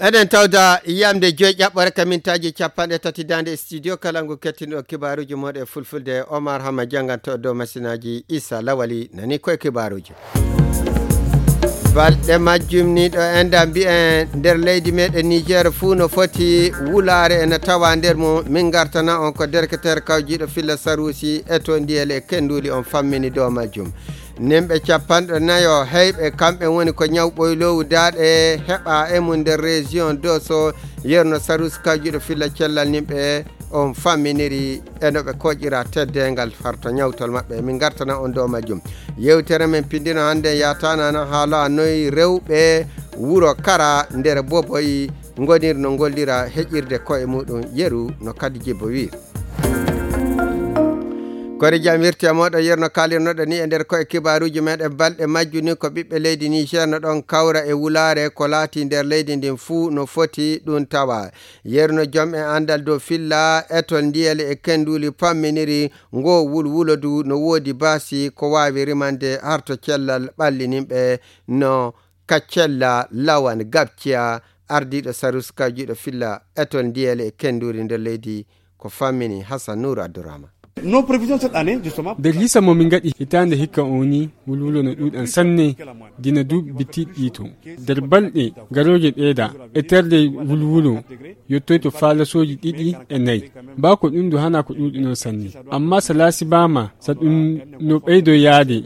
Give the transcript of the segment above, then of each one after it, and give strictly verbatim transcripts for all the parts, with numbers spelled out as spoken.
eden tawda yamde joy ƴaɓɓore kamintaji capanɗe tati dande studio kala ngu kettino kibaruji moɗe fulfulde Omar Hama janganto dow masinaji Issa Lawali nani koye kibaruji balɗe majjum ni ɗo enda mbi'en nder leydi meɗen Niger fuu no foti wulare ene tawa nder mo min gartana on ko derketere kawjiɗo Filla Sarusi e to ndiyel e kenduli on fammini dow majjum nimɓe capanɗe nayo heyɓe kamɓe woni ko ñawɓoylowu daaɗe heɓa e mum nder région Dosso yerno Sarusi kawjiɗo Filla cellal nimɓe on famminiri e no ɓe koƴira teddengal farto ñawtol maɓɓe min gartana on dow majjum yewtere men pindino hannde yatanana haala noyi rewɓe wuro Kara nder Boboyi gonir no gollira heƴirde koye muɗum yeru no kadi jibbo wir kori jam wirti moɗo yerno kalirnoɗo ni e nder koye kibaruji meɗen balɗe majjuni ko ɓiɓɓe leydi Niger no ɗon kawra e wulare ko laati nder leydi ndin fuu no foti ɗum tawa yerno joom e andal dow Filla etol ndiyel e kenduli pamminiri ngo wulwulodu no woodi baasi ko wawi rimande harto cellal ɓallinimɓe no kaccella lawan gabciya ardiɗo Sarusi kawjiɗo Filla etol ndiyel e kenduli nder leydi ko fammini Hassan Nour Abdourahmane nos prévisions cette année justement nder hisa mo min gaɗi hitande hikka oni wulwulo no ɗuɗan sanne dina duuɓi bittiɗɗi to nder balɗe garoje ɓeeda e terde wulwulo yettoy to faalasoji ɗiɗi e nayyi ba ko ɗum du hana ko ɗuɗino sanne amma so laasi bama sa ɗum no ɓeydo yaade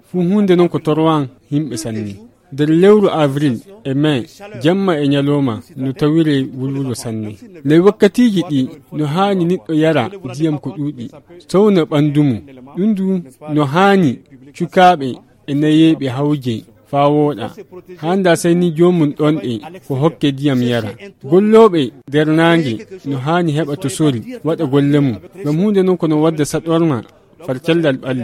fu hunde noon ko torwan yimɓe sanne nder lewru avril e mai jamma e ñaloma no tawire wulwulo sanne ley wakkatiji ɗi no haani neɗɗo yara ndiyam ko ɗuuɗi sowna ɓandumu ɗum du no haani cukaɓe e nayeɓe hawje faa wooɗa handa sey ni jomum ɗonɗe ko hokke ndiyam yara golloɓe nder naange no haani heɓa to sori waɗa golle mum ngam hunde noon kono wadda saɗorma far cellal ɓalli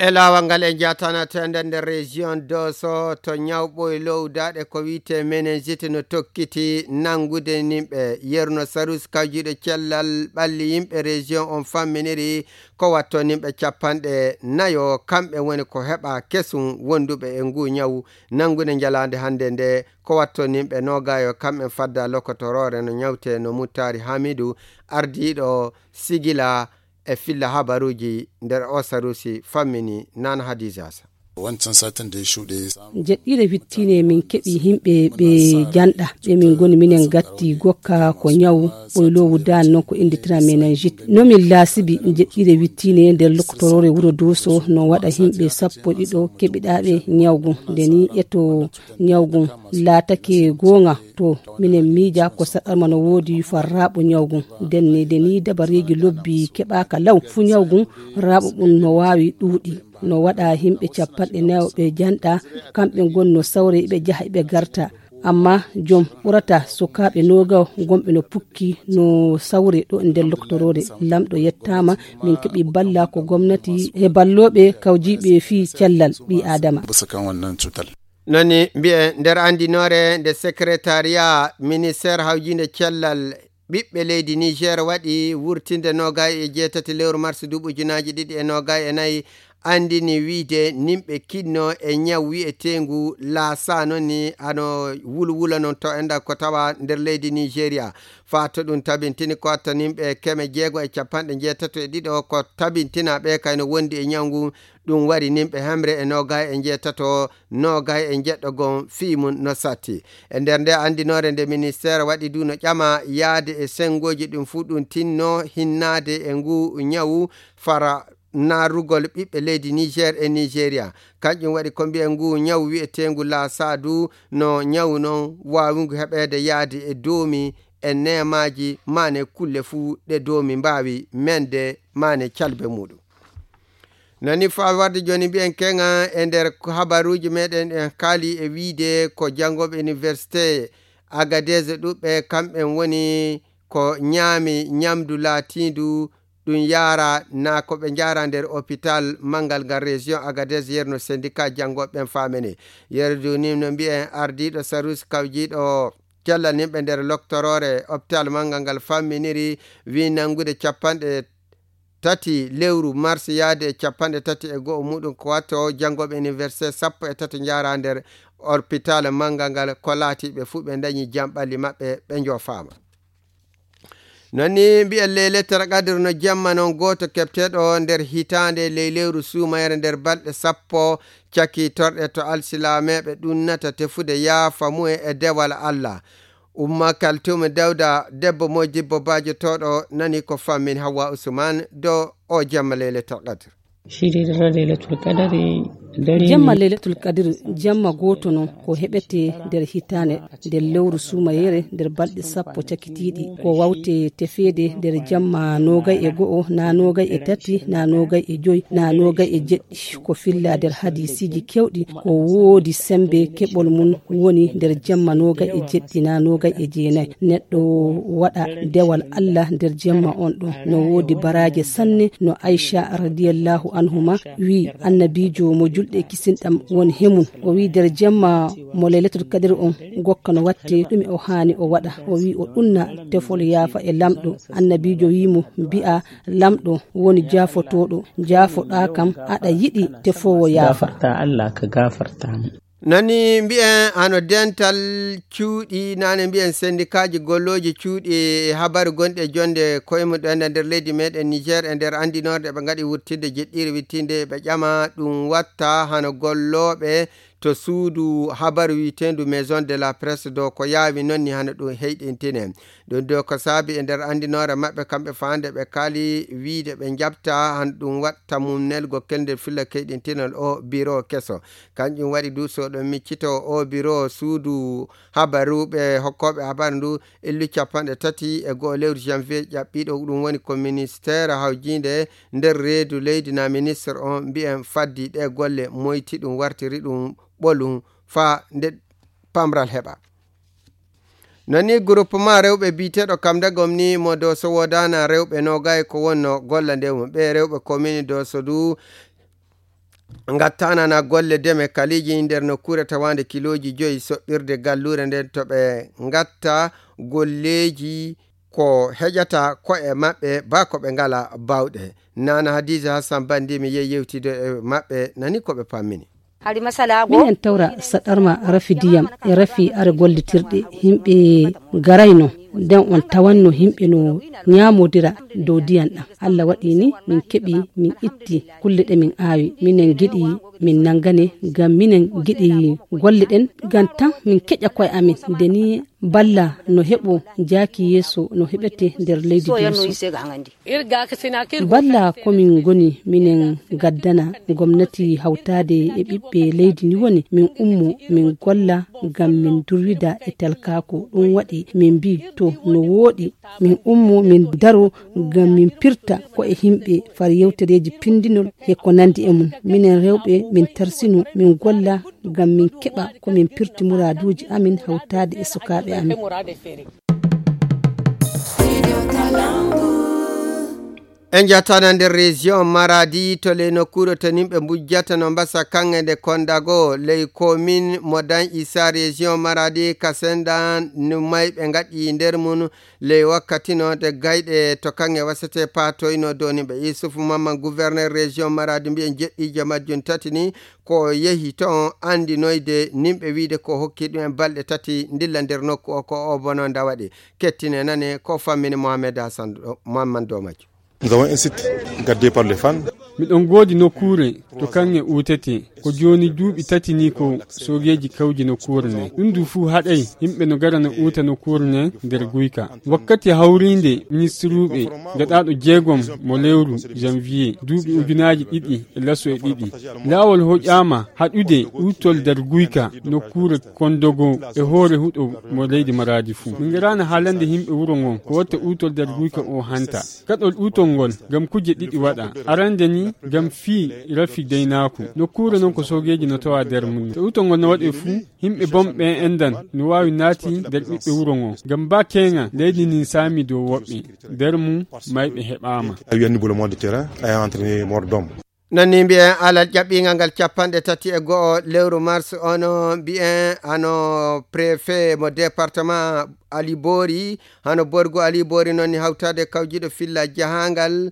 e lawal ngal e jatanata nder nder région Dosso to ñawɓoye lowdaɗe ko wiite meningite no tokkiti nangude nimɓe yerno Sarusi kawjiɗo cellal ɓalli yimɓe région on famminiri ko watto nimɓe capanɗe nayo kamɓe woni ko heɓa kesum wonduɓe e ngu ñawu nangude jalande hande nde ko watto nimɓe nogayo kamɓe fadda lokotorore no ñawte no Muttari Hamidou ardiɗo sigila e Filla habaruji nder o Sarusi fammini Nana Hadijasa wancan satin da ya shuɗe jeɗɗire wittine min keɓi himɓe ɓe janɗa ɓe min goni minen gatti gokka ko ñaw ɓoylowu dan noon ko inditira meningite nomin laasibi jeɗɗire wittine nder lokotorore wuro Dosso no waɗa himɓe sappo ɗiɗo keɓiɗaɓe ñawgu ndeni eto ñawgu laatake gonga to minen miija ko saɗarma no woodi farraɓo ñawgu ndenne deni dabareji lobbi keɓaka law fu ñawgu raɓo ɓum no wawi ɗuuɗi no waɗa himɓe capanɗe nayo ɓe janɗa kamɓe gonno sawre ɓe jaha ɓe garta amma jom ɓurata sukaɓe nogaw gomɓe no pukki no sawre ɗo nder lokotorore lamɗo yettama min keɓi balla ko gomnati e balloɓe kawjiɓe fi cellal ɓi adama noni mbiye nder andinore nde secrétariat ministére hawjinde cellal ɓiɓɓe leydi Niger waɗi wurtinde nogay e jeetati lewru mars duuɓi ujunaji ɗiɗi e nogay e nayyi andini wiide nimɓe kinno e ñaw wi'etengu laasa noon ni ano wulwula noon to enda ko tawa nder leydi Nigéria fa to ɗum tabintini ko watta nimɓe keme jeego e capanɗe jeetato e ɗiɗo ko tabintina ɓe kayno wondi e ñawgu ɗum wari nimɓe hemre e nogay e jeetato nogay e jeɗɗo gon fiimum no satti e nder nde andinore nde ministére waɗi du no ƴama yaade e sengoji ɗum fu ɗum tinno hinnade e ngu ñawu fara narugol ɓiɓɓe leydi Niger e Nigéria kanƴum waɗi ko mbiye ngu ñawu wi'etengu laasadu no ñawu noon wawingu heɓede yaade e doomi e nemaji mane kulle fuu ɗe doomi mbawi mende mane calbe muɗum nani fa warde joni mbiyen kenga e nder habaruji meɗen en kaali e wiide ko jangoɓe université Agadez ɗuɓɓe kamɓen woni ko ñaami ñamdu laatindu ɗum yara na ko ɓe jara nder hôpital mangal ngal région Agadez yerno syndicat jangoɓeɓen famene yerdu ni no mbiyen ardiɗo Sarusi kawjiɗo cellal nimɓe nder loctorore hôpital mangal ngal famminiri wi nangude capanɗe tati lewru mars yaade capanɗe tati e go'o muɗum ko watto janngoɓe université sappo e tati jara nder hôpital manga ngal ko laatiɓe fuu ɓe dañi jamɓalli maɓɓe ɓe jofama. nonni mbiyen ley lettere qadre no jamma noon goto kepteɗo nder hitande ley lewru suumayere nder balɗe sappo caki torɗe to alsilameɓe ɗunnata tefude yaafa mu'e e dewal Allah. umma kaltume dawda debbo modibbo bajotoɗo nani ko fammin Hawa Usman do o jamma ley lettere qadre. shirira leylatul qadari jamma leylatul qadr jamma goto non ko heɓete nder hitande nder lewru sumayere nder balɗe sappo cakitiɗi ko wawte tefede nder jamma nogay e go'o na nogay e tati na nogay e joyi na nogay e jeɗɗi ko filla nder hadisiji kewɗi ko woodi sembe keɓol mum woni nder jamma nogay e jeɗɗi na nogay e jeenayi neɗɗo waɗa dewal Allah nder jamma on ɗon no woodi baraje sanne no Aisha radiyallahu anhuma wi annabijo mo julɗe kisinɗam woni hemun o wi nder jamma mo leylatul qadr on gokka no watte ɗum o haani o waɗa o wi o ɗunna tefol yaafa e lamɗo annabijo wimo mbi'a lamɗo woni jaafotoɗo jaafoɗa kam aɗa yiɗi tefowo yaafarta Allah ka gafartamo. nani mbiyen hano dental cuuɗi nane mbiyen syndicat ji golloji cuuɗi habaru gonɗe jonde koyemuɗen e nder leydi meɗen Niger e nder andinorde ɓe gaɗi wurtinde jeɗɗiri wittinde ɓe ƴama ɗum watta hano golloɓe to suudu habaru witendu maison de la presse do ko yaawi nonni hano ɗum heyɗintine ɗum do ko saabi e nder andinore maɓɓe kamɓe fande ɓe kaali wiide ɓe jabta han ɗum watta mum nelgo kelde filla keyɗintinol o bureau keso kanƴum waɗi dusoɗo miccito o bureau suudu habaruɓe hokkoɓe habaru ndu illu capanɗe tati e goho lewru janvier ƴaɓɓiɗo ɗum woni ko ministére hawjinde nder reedu leydi na ministre on mbiyen faddi ɗe golle moyti ɗum wartiri ɗum ɓolum fa nde pamral heɓa. nani groupement rewɓe biteɗo kam dagom ni mo do so wodana rewɓe nogay ko wonno golla nde mum ɓe rewɓe commune do so du gattanana golle deme kaliji nder nokkure tawande kiloji joyi soɓɓirde gallure nden to ɓe gatta golleji ko heƴata ko'e maɓɓe ba ko ɓe ngala bawɗe. nana Hadiza Hassan Bandi mi yehi yewtide e maɓɓe nani ko ɓe pammini. minen tawra saɗarma rafi diyam e rafi are gollitirɗe himɓe garayno nden on tawanno himɓe no ñamodira dow diyan ɗam. Allah waɗi ni min keɓi min itti kulle ɗe min aawi minen giɗi min nangane ngam minen giɗi golle ɗen ngam tan min keƴa koye amin nde ni balla no heɓo jaaki yeeso no heɓete nder leydi duuso. balla komin goni minen gaddana gomnati hawtade e ɓiɓɓe leydi ni woni min ummo min golla ngam min durwida e talkako ɗum waɗi min mbi to no wooɗi min ummo min daro ngam min pirta ko e himɓe far yewtereji pindinol e ko nandi e mum minen rewɓe min tarsino min golla ngam min keɓa ko min pirti muraduji amin hawtade e sukaɓe amin. en jattana nder région Maradi to ley nokkure to nimɓe bujjata no mbasa kange nde kondago ley commune Modan Issa région Maradi kasendan numay ɓe gaɗi nder mum ley wakkati no de gayɗe to kange wasete patoyno do nimɓe Isufu Mamman gouverneur région Maradi mbiyen jeɗɗije majjum tati ni ko yehi to andinoyde nimɓe wiide ko hokki ɗum en balɗe tati dilla nder nokku o ko o bono nda waɗi kettine nane ko fammini Mohamed Hassan Mamman do majjum. Nous avons un site gardé par les fans. miɗon goodi nokkure to kange utete ko joni duuɓi tati ni ko sogeji kawji nokkure nde ɗum du fuu haɗay yimɓe no gara no uta nokkure nde nder guyka wakkati hawrinde ministruɓe gaɗaɗo jeegom mo lewru janvier duuɓi ujunaji ɗiɗi e lasso e ɗiɗi laawol hoƴƴama haɗude utol nder guyka nokkure kondogo e hoore huɗo mo leydi Maradi fuu min garano haalande yimɓe wuro ngon ko watta utol nder guyka o hanta gaɗol utol ngol gam kuje ɗiɗi waɗa arande ni gam fii rafi deynaku nokkure non ko sogeji no tawa nder mum to utol ngol no waɗe fuu yimɓe bomɓe endan no wawi naati nder ɓiɓɓe wuro ngon gam ba kenga leydi nin saami dow woɓɓe nder mum mayɓe heɓama nani mbiyen alal ƴaɓɓingal ngal capanɗe tati e goho lewru mars ono mbiyen ano préfet mo département Ali Bori hano borgo Ali Bori noon ni hawtade kawjiɗo filla jahangal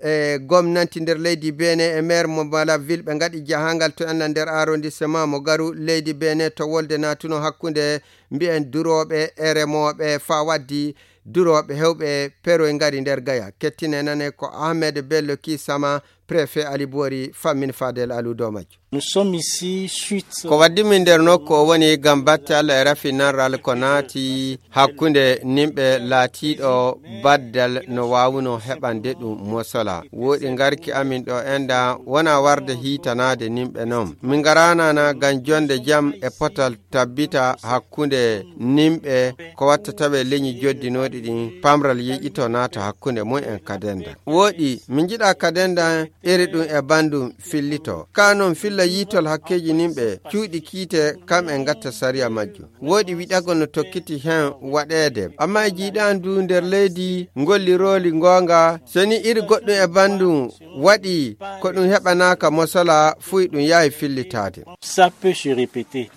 e gomnati nder leydi Benin e maire mo Brazzaville ɓe gaɗi jahangal to enna nder arrondissement mo garu leydi Benin to wolde natuno hakkunde mbiyen duroɓe e remoɓe fa waddi duroɓe hewɓe pero e gari nder gaya. Kettine nane ko Ahmed Bello Kisama préfet Alibori fammin Fadel Alou do majjo. Nous sommes ici suite ko waddi min nder nokku o woni gam batte Allah e rafinanral ko naati hakkunde nimɓe laatiɗo baddal no wawuno heɓande ɗum mosola. Woɗi garki amin ɗo enda wona warde hitanade nimɓe noon. Min garanana gam jonde jam e potal tabbita hakkunde nimɓe ko watta tawe leñi joddinoɗi ɗin pamral yiƴito naata hakkunde mum en kadenda. Woɗi min jiɗa kadenda iri ɗum e bandum fillito kanon filla yitol hakkeji nimɓe cuuɗi kiite kam en gatta sariya majju. Woodi wiɗagol no tokkiti hen waɗede amma e jiiɗandu nder leydi golliroli gonga soni iri goɗɗum e bandum waɗi ko ɗum heɓanaka mosola fuy ɗum yahi fillitade. Ça peut se répéter.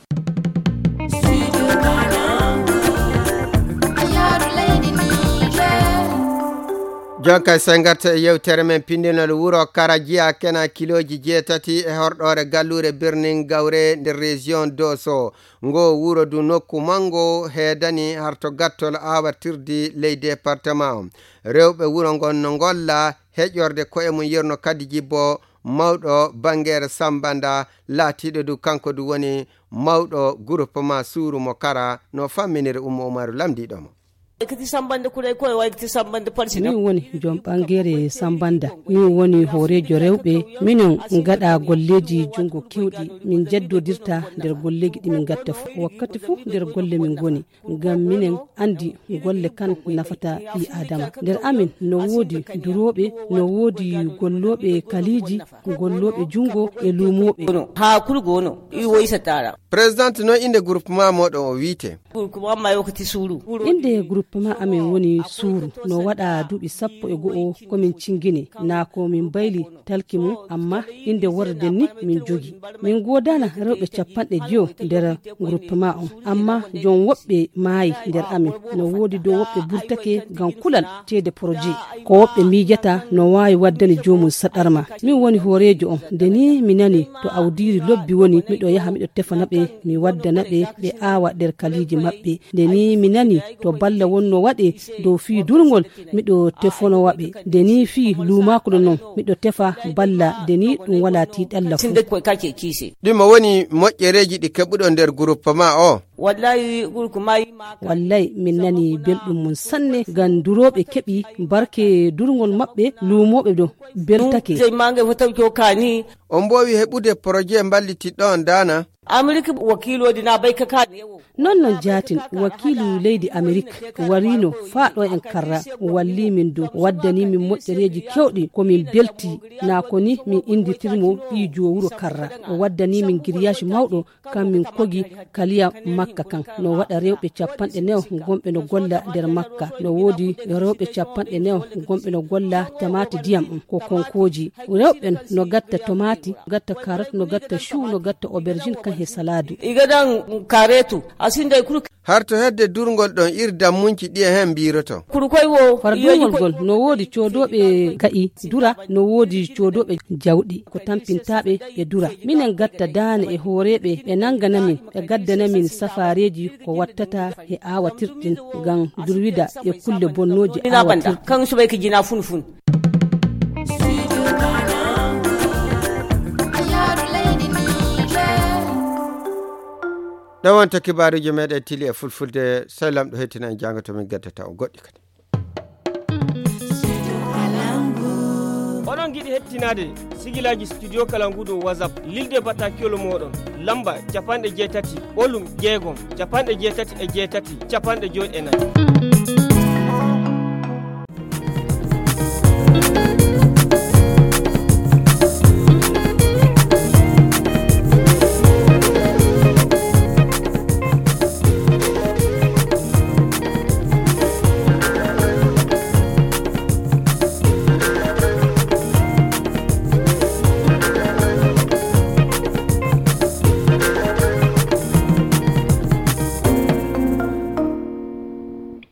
jonka sengarta e yewtere men pindinol wuro Karajiya kena kiloji jeetati e horɗore gallure birnin Gawre nder région Doso ngo wuro du nokku mango heedani harto gattol awatirdi ley département rewɓe wuro ngon no golla heƴorde koye mum yerno kadi jibbo mawɗo bangere Sambanda laatiɗo du kanko du woni mawɗo groupement suuru mo Kara no famminire Oumou Oumarou lamdiɗomo. min woni jom ɓangere Sambanda min woni horejo rewɓe minen gaɗa golleji jungo kewɗi min jaddodirta nder golleji ɗi min gatta fu wakkati fu nder golle min goni ngam minen andi golle kan nafata ɓi adama nder amin no woodi duroɓe no woodi golloɓe kaliji golloɓe jungo e lumoɓe ha kurgo no i woysatara président no inde groupement moɗon o wiite groupement ma yokati suuru inde groupement amin woni suuru no waɗa duuɓi sappo e go'o komin cingine na ko min bayli talki mum amma inde warden ni min jogi min godana rewɓe capanɗe joyo nder groupement on amma jon woɓɓe maayi nder amin no woodi dow woɓɓe burtake gam kulal teede projet ko woɓɓe miijata no wawi waddani jomum saɗarma min woni horejo on nde ni mi nani to awdiri lobbi woni miɗo yaha miɗo tefana ɓe mi waddana ɓe ɓe aawa nder kaliji maɓɓe nde ni mi nani to balla wonno waɗe dow fii durgol miɗo tefono waɓe nde ni fii lumakuɗo noon miɗo tefa balla nde ni ɗum wala tiɗalla fu ɗimo woni moƴƴereji ɗi keɓuɗo nder groupement o wallahi wallahi min nani belɗum mum sanne gam duroɓe keɓi barke durgol maɓɓe lumoɓe ɗo beltake on mbowi heɓude projet ballitiɗɗo on dana Amerika wakilodi na bai kaka non non jatin wakilu leydi Amerika warino faɗo en karra walli min do waddani min moƴƴereji kewɗi komin belti na ko ni min inditirmo ɓijo wuro karra o waddani min grillage mawɗo kam min kogi kaliya makka kan no waɗa rewɓe capanɗe newo gomɓe no golla nder makka no woodi rewɓe capanɗe newo gomɓe no golla tamati diyam ɗum ko konkoji rewɓen no gatta tomati gatta carotte no gatta chou no gatta aubergine kan he saladu igadan karetu asinde kuru har to hedde durgol ɗon irda munci ɗi e hen biroto kurukoy wo fardugol gol no woodi codoɓe ga'i dura no woodi codoɓe jawɗi ko tampintaɓe ɓe dura minen gatta dane e horeɓe ɓe nanganamin ɓe gaddanamin safareji ko wattata e awatirɗin gam durwida e kulle bonnoji awatirɗin kan subay ki jina fun fun ɗon wonta kibaruji meɗen tili e fulfulde sey lamɗo hettina en jangato min gaddata o goɗɗi kadi oɗon giɗi hettinade sigilaji studio Kalangu dow WhatsApp lilde batakiyol moɗon lamba capanɗe jeetati ɓolum jeegom capanɗe jeetati e jeetati capanɗe joyi e nayyi